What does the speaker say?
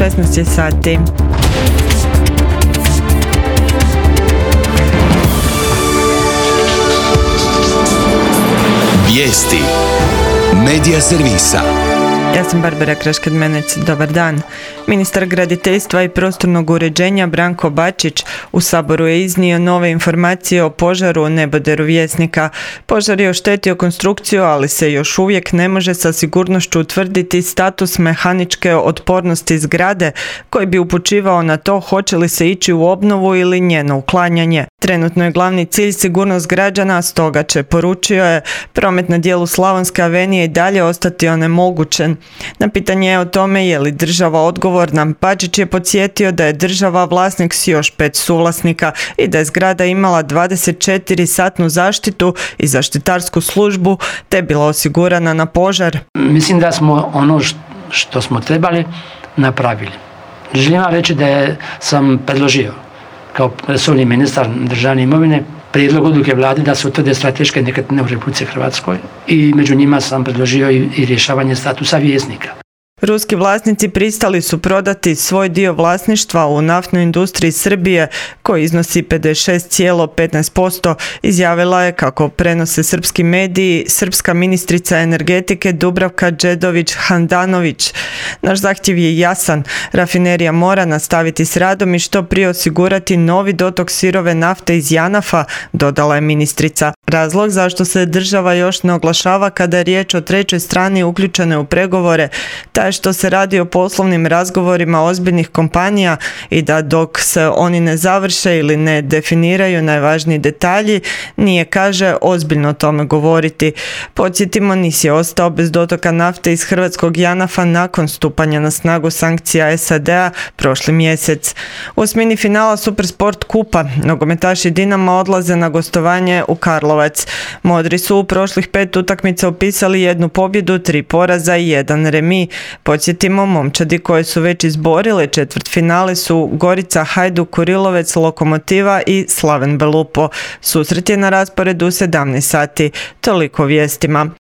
16 je sati. Vijesti Medija servisa. Ja sam Barbara Kraškad-Menec, dobar dan. Ministar graditeljstva i prostornog uređenja Branko Bačić u Saboru je iznio nove informacije o požaru u neboderu Vjesnika. Požar je oštetio konstrukciju, ali se još uvijek ne može sa sigurnošću utvrditi status mehaničke otpornosti zgrade, koji bi upućivao na to hoće li se ići u obnovu ili njeno uklanjanje. Trenutno je glavni cilj sigurnost građana, stoga će, poručio je, promet na dijelu Slavonske avenije i dalje ostati onemogućen. Na pitanje o tome je li država odgovorna, Bačić je podsjetio da je država vlasnik s još 5 suvlasnika i da je zgrada imala 24-satnu zaštitu i zaštitarsku službu te bila osigurana na požar. Mislim da smo ono što smo trebali napravili. Želim vam reći da sam predložio kao resorni ministar državne imovine prijedlog odluke vlade da se utvrde strateške nekretnine u Republici Hrvatskoj i među njima sam predložio i rješavanje statusa Vjesnika. Ruski vlasnici pristali su prodati svoj dio vlasništva u naftnoj industriji Srbije, koji iznosi 56,15%, izjavila je, kako prenose srpski mediji, srpska ministrica energetike Dubravka Đedović-Handanović. Naš zahtjev je jasan, rafinerija mora nastaviti s radom i što prije osigurati novi dotok sirove nafte iz Janafa, dodala je ministrica. Razlog zašto se država još ne oglašava kada je riječ o trećoj strani uključene u pregovore, taj što se radi o poslovnim razgovorima ozbiljnih kompanija i da dok se oni ne završe ili ne definiraju najvažniji detalji, nije, kaže, ozbiljno o tome govoriti. Podsjetimo, NIS je ostao bez dotoka nafte iz hrvatskog Janafa nakon stupanja na snagu sankcija SAD-a prošli mjesec. U osmini finala Supersport kupa nogometaši Dinama odlaze na gostovanje u Karlovac. Modri su u prošlih 5 utakmica upisali 1 pobjedu, 3 poraza i 1 remi. Podsjetimo, momčadi koje su već izborile četvrtfinale su Gorica, Hajduk, Kurilovec, Lokomotiva i Slaven Belupo. Susret je na rasporedu u 17 sati. Toliko vijestima.